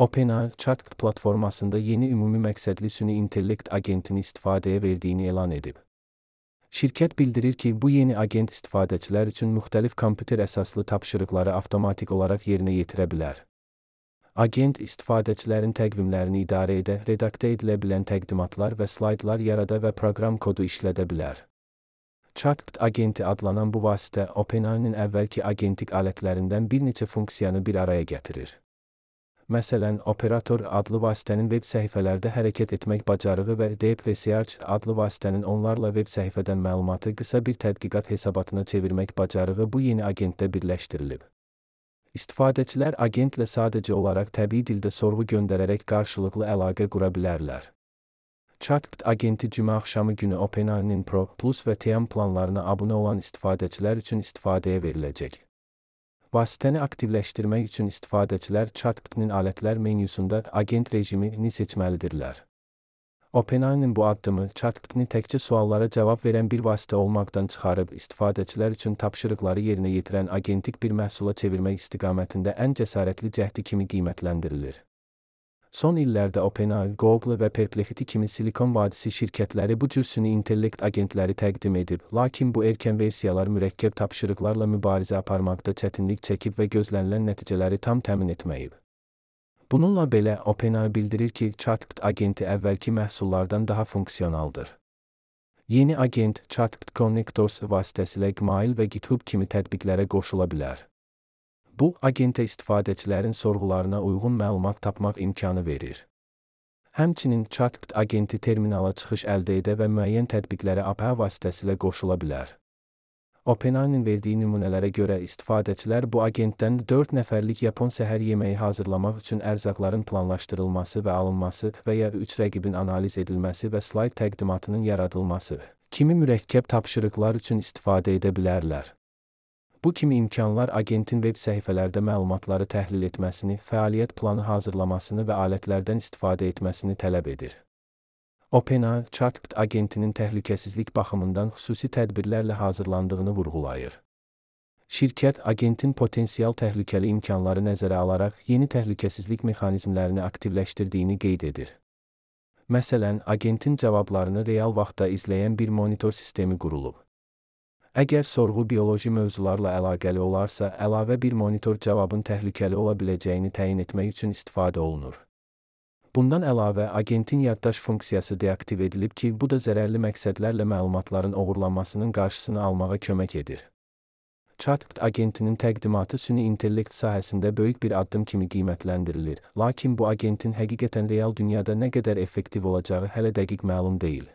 OpenAI, ChatGPT platformasında yeni ümumi məqsədli süni intellekt agentini istifadəyə verdiyini elan edib. Şirkət bildirir ki, bu yeni agent istifadəçilər üçün müxtəlif kompüter əsaslı tapşırıqları avtomatik olaraq yerinə yetirə bilər. Agent istifadəçilərin təqvimlərini idarə edə, redaktə edilə bilən təqdimatlar və slaydlar yarada və proqram kodu işlədə bilər. ChatGPT agenti adlanan bu vasitə OpenAI-nin əvvəlki agentik alətlərindən bir neçə funksiyanı bir araya gətirir. Məsələn, Operator adlı vasitənin veb səhifələrdə hərəkət etmək bacarığı və Deep Research adlı vasitənin onlarla veb səhifədən məlumatı qısa bir tədqiqat hesabatına çevirmək bacarığı bu yeni agentdə birləşdirilib. İstifadəçilər agentlə sadəcə olaraq təbii dildə sorğu göndərərək qarşılıqlı əlaqə qura bilərlər. ChatGPT agenti cümə axşamı günü OpenAI-nin Pro, Plus və Team planlarına abunə olan istifadəçilər üçün istifadəyə veriləcək. Vasitəni aktivləşdirmək üçün istifadəçilər ChatGPT-nin alətlər menyusunda agent rejimini seçməlidirlər. OpenAI-nin bu addımı ChatGPT-ni təkcə suallara cavab verən bir vasitə olmaqdan çıxarıb istifadəçilər üçün tapşırıqları yerinə yetirən agentik bir məhsula çevirmək istiqamətində ən cəsarətli cəhdi kimi qiymətləndirilir. Son illərdə OpenAI, Google və Perplexity kimi Silikon vadisi şirkətləri bu cür süni intellekt agentləri təqdim edib, lakin bu erkən versiyalar mürəkkəb tapşırıqlarla mübarizə aparmaqda çətinlik çəkib və gözlənilən nəticələri tam təmin etməyib. Bununla belə, OpenAI bildirir ki, ChatGPT agenti əvvəlki məhsullardan daha funksionaldır. Yeni agent ChatGPT Connectors vasitəsilə Gmail və GitHub kimi tətbiqlərə qoşula bilər. Bu, agentə istifadəçilərin sorğularına uyğun məlumat tapmaq imkanı verir. Həmçinin ChatGPT agenti terminala çıxış əldə edə və müəyyən tətbiqlərə API vasitəsilə qoşula bilər. OpenAI-nin verdiyi nümunələrə görə istifadəçilər bu agentdən 4 nəfərlik Yapon səhər yeməyi hazırlamaq üçün ərzaqların planlaşdırılması və alınması və ya 3 rəqibin analiz edilməsi və slayd təqdimatının yaradılması kimi mürəkkəb tapşırıqlar üçün istifadə edə bilərlər. Bu kimi imkanlar agentin veb səhifələrdə məlumatları təhlil etməsini, fəaliyyət planı hazırlamasını və alətlərdən istifadə etməsini tələb edir. OpenAI, ChatGPT agentinin təhlükəsizlik baxımından xüsusi tədbirlərlə hazırlandığını vurğulayır. Şirkət, agentin potensial təhlükəli imkanları nəzərə alaraq yeni təhlükəsizlik mexanizmlərini aktivləşdirdiyini qeyd edir. Məsələn, agentin cavablarını real vaxtda izləyən bir monitor sistemi qurulub. Əgər sorğu bioloji mövzularla əlaqəli olarsa, əlavə bir monitor cavabın təhlükəli ola biləcəyini təyin etmək üçün istifadə olunur. Bundan əlavə, agentin yaddaş funksiyası deaktiv edilib ki, bu da zərərli məqsədlərlə məlumatların oğurlanmasının qarşısını almağa kömək edir. ChatGPT agentinin təqdimatı süni intellekt sahəsində böyük bir addım kimi qiymətləndirilir, lakin bu agentin həqiqətən real dünyada nə qədər effektiv olacağı hələ dəqiq məlum deyil.